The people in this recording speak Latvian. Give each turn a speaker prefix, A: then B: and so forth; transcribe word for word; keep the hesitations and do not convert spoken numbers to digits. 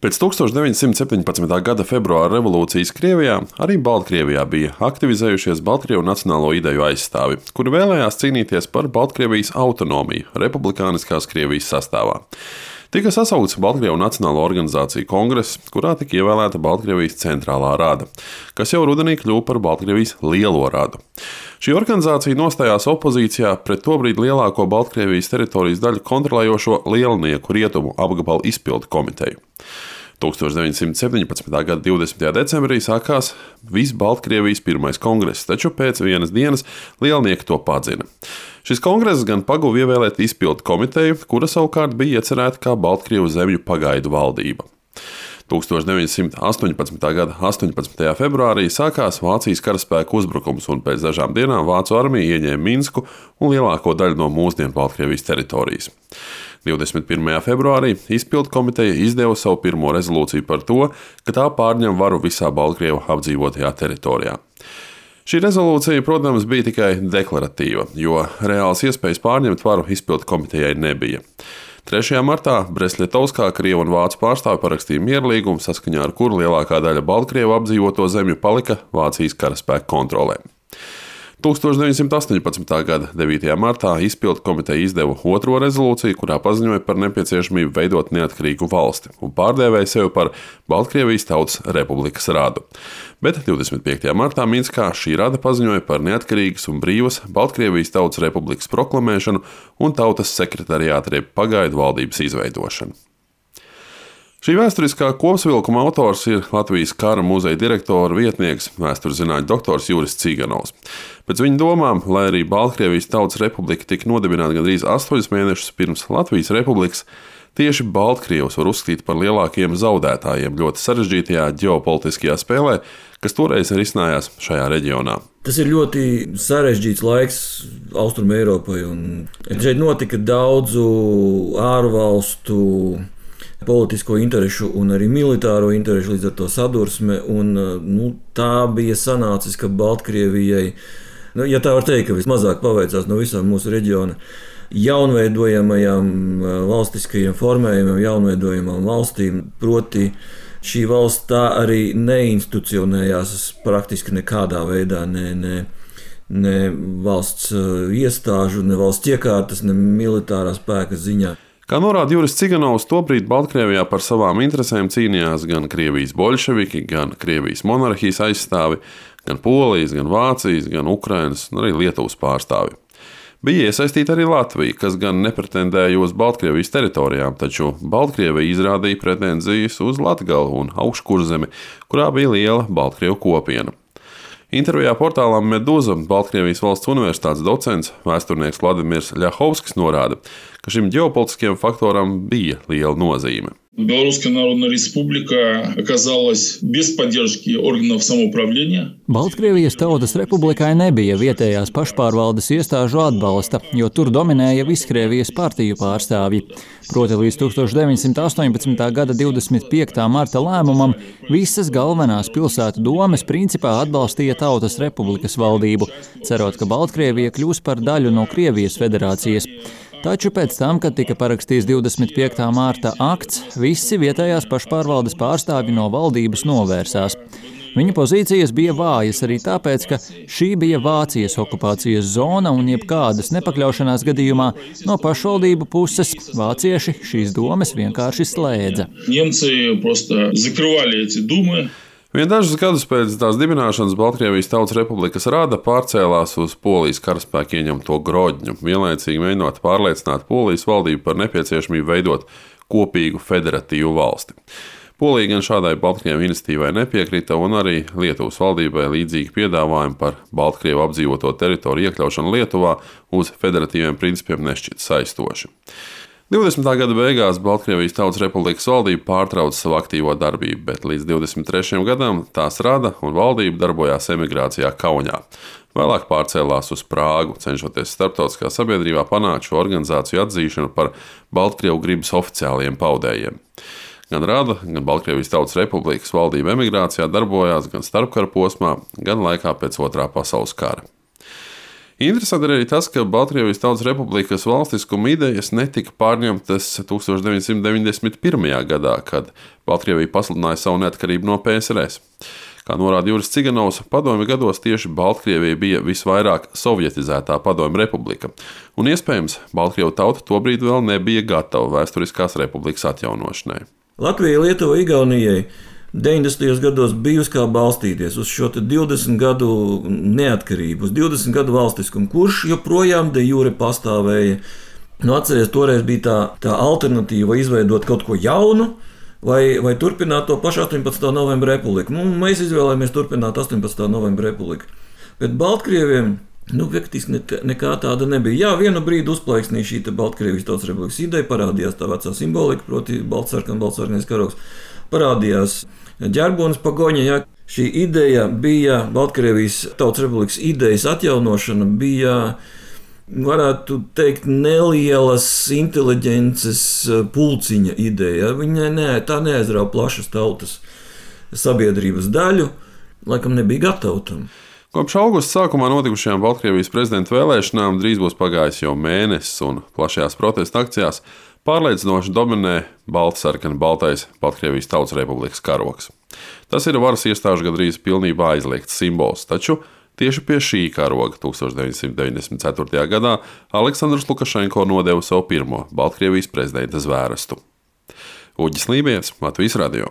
A: Pēc tuksstoš deviņsimt septiņpadsmitā gada februāra revolūcijas Krievijā arī Baltkrievijā bija aktivizējušies Baltkrievu nacionālo ideju aizstāvi, kuri vēlējās cīnīties par Baltkrievijas autonomiju republikāniskās Krievijas sastāvā. Tika sasaukts Baltkrievu Nacionālo organizāciju kongress, kurā tika ievēlēta Baltkrievijas centrālā rada, kas jau rudenī kļuva par Baltkrievijas lielo radu. Šī organizācija nostājās opozīcijā pret tobrīd lielāko Baltkrievijas teritorijas daļu kontrolējošo Lielnieku rietumu apgabalu izpildu komiteju. tuksstoš deviņsimt septiņpadsmitā gada divdesmitajā decembrī sākās viss Baltkrievijas pirmais kongress, taču pēc vienas dienas Lielnieki to padzina. Šis kongress gan paguva ievēlēt izpildu komiteju, kura savukārt bija iecerēta kā Baltkrievu zemju pagaidu valdība. tuksstoš deviņsimt astoņpadsmitā gada astoņpadsmitajā februārī sākās Vācijas karaspēku uzbrukums, un pēc dažām dienām Vācu armija ieņēma Minsku un lielāko daļu no mūsdienu Baltkrievijas teritorijas. divdesmit pirmajā februārī izpildu komiteja izdeva savu pirmo rezolūciju par to, ka tā pārņem varu visā Baltkrievu apdzīvotajā teritorijā. Šī rezolūcija, protams, bija tikai deklaratīva, jo reāls iespējas pārņemt varu izpildu komitejai nebija. trešajā martā Bresļetovskā Krievu un Vācu pārstāvi parakstīja mierlīgumu, saskaņā ar kuru lielākā daļa Baltkrievu apdzīvoto zemju palika Vācijas karaspēku kontrolē. tuksstoš deviņsimt astoņpadsmitā gada devītajā martā izpildu komiteja izdeva otro rezolūciju, kurā paziņoja par nepieciešamību veidot neatkarīgu valsti un pārdēvēja sevi par Baltkrievijas Tautas Republikas radu. Bet divdesmit piektajā martā Minskā šī rada paziņoja par neatkarīgas un brīvas Baltkrievijas Tautas Republikas proklamēšanu un tautas sekretariāta jeb pagaidu valdības izveidošanu. Šī vēsturiskā kopsavilkuma autors ir Latvijas kara muzeja direktora vietnieks, vēsturzinātņu doktors Juris Ciganovs. Pēc viņa domām, lai arī Baltkrievijas Tautas Republika tika nodibināta gandrīz astoņus mēnešus pirms Latvijas Republikas, tieši Baltkrievus var uzskatīt par lielākiem zaudētājiem ļoti sarežģītajā ģeopolitiskajā spēlē, kas toreiz risinājās šajā reģionā.
B: Tas ir ļoti sarežģīts laiks Austrumu Eiropai, un šeit notika daudzu ārvalstu politisko interešu un arī militāro interešu, līdz ar to sadursme, un nu, tā bija sanācis, ka Baltkrievijai, nu, ja tā var teikt, ka vismazāk paveicās no visām mūsu reģiona jaunveidojamajām valstiskajiem formējumiem, jaunveidojamām valstīm, proti šī valsts tā arī neinstitucionējās praktiski nekādā veidā, ne, ne, ne valsts iestāžu, ne valsts iekārtas, ne militārā spēka ziņā.
A: Kā norāda Juris Ciganovs, tobrīd Baltkrievijā par savām interesēm cīnījās gan Krievijas boļševiki, gan Krievijas monarhijas aizstāvi, gan Polijas, gan Vācijas, gan Ukrainas un arī Lietuvas pārstāvi. Bija iesaistīta arī Latvija, kas gan nepretendēja uz Baltkrievijas teritorijām, taču Baltkrievija izrādīja pretenzijas uz Latgali un Augškurzemi, kurā bija liela Baltkrievu kopiena. Intervijā portālām Meduza Baltkrievijas valsts universitātes docents, vēsturnieks Vladimirs Ļahovskis norāda, ka šim ģeopolitiskajam faktoram bija liela nozīme.
C: Белорусская Народная Республика оказалась без поддержки органов самоуправления.
D: Baltkrievijas Tautas Republikai nebija vietējās pašpārvaldes iestāžu atbalsta, jo tur dominēja Viskrievijas partiju pārstāvji. Proti līdz tuksstoš deviņsimt astoņpadsmitā gada divdesmit piektā marta lēmumam visas galvenās pilsētu domes principā atbalstīja Tautas Republikas valdību, cerot, ka Baltkrievija kļūs par daļu no Krievijas federācijas. Taču pēc tam, kad tika parakstīts divdesmit piektā marta akts, visi vietējās pašpārvaldes pārstāvji no valdības novērsās. Viņu pozīcijas bija vājas arī tāpēc, ka šī bija Vācijas okupācijas zona un jebkādas nepakļaušanās gadījumā no pašvaldību puses vācieši šīs domes vienkārši slēdza.
C: Немцы просто закрывали эти думы.
A: Vien dažus gadus pēc tās dibināšanas Baltkrievijas Tautas Republikas rada pārcēlās uz Polijas karaspēku ieņemto Grodņu, vienlaicīgi mēģinot pārliecināt Polijas valdību par nepieciešamību veidot kopīgu federatīvu valsti. Polija gan šādai Baltkrievu iniciatīvai nepiekrita, un arī Lietuvas valdībai līdzīgi piedāvājumi par Baltkrievu apdzīvoto teritoriju iekļaušanu Lietuvā uz federatīviem principiem nešķita saistoši. divdesmitā gada beigās Baltkrievijas Tautas Republikas valdība pārtrauca savu aktīvo darbību, bet līdz divdesmit trešajam gadam tās rada un valdība darbojās emigrācijā Kaunijā. Vēlāk pārcēlās uz Prāgu, cenšoties starptautiskā sabiedrībā panākt šo organizāciju atzīšanu par Baltkrievu gribas oficiāliem paudējiem. Gan rada, gan Baltkrievijas Tautas Republikas valdība emigrācijā darbojās gan starpkara posmā, gan laikā pēc Otrā pasaules kara. Interesanti ir arī tas, ka Baltkrievijas Tautas Republikas valstiskuma idejas netika pārņemtas tūkstoš deviņsimt deviņdesmit pirmajā gadā, kad Baltkrievija pasludināja savu neatkarību no P S R S. Kā norāda Juris Ciganovs, padomju gados tieši Baltkrievija bija visvairāk sovietizētā padomju republika, un iespējams, Baltkrievu tauta tobrīd vēl nebija gatava vēsturiskās republikas atjaunošanai.
B: Latvijai, Lietuvai, Igaunijai deviņdesmitajos gados bijusi kā balstīties uz šo divdesmit gadu neatkarību, uz divdesmit gadu valstiskumu, kurš joprojām de jure pastāvēja. Nu, atceries, toreiz bija tā, tā alternatīva izveidot kaut ko jaunu, vai, vai turpināt to pašu astoņpadsmitā novembra republiku. Nu, mēs izvēlējāmies turpināt astoņpadsmitā novembra republiku. Bet Baltkrieviem nu, faktiski nekā tāda nebija. Jā, vienu brīdi uzplaiksnīja šī Baltkrievijas Tautas Republikas ideja, parādījās tā vecā simbolika, proti baltsarkan, baltsarkanais karogs. Parādījās ģerbonis pagoņa, ja šī ideja bija Baltkrievijas Tautas Republikas idejas atjaunošana, bija, varētu teikt, nelielas inteliģences pulciņa ideja. Viņa ne, tā neaizrauja plašas tautas sabiedrības daļu, laikam nebija gatava tam.
A: Kopš augusta sākumā notikušajām Baltkrievijas prezidenta vēlēšanām drīz būs pagājis jau mēnesis, un plašajās protesta akcijās pārliecinoši dominē baltsarkani baltais Baltkrievijas Tautas Republikas karogs. Tas ir varas iestāžu gandrīz pilnībā aizliegts simbols, taču tieši pie šī karoga tūkstoš deviņsimt deviņdesmit ceturtajā gadā Aleksandrs Lukašenko nodeva savu pirmo Baltkrievijas prezidenta zvērestu. Uģis Lībijams, Latvijas radio.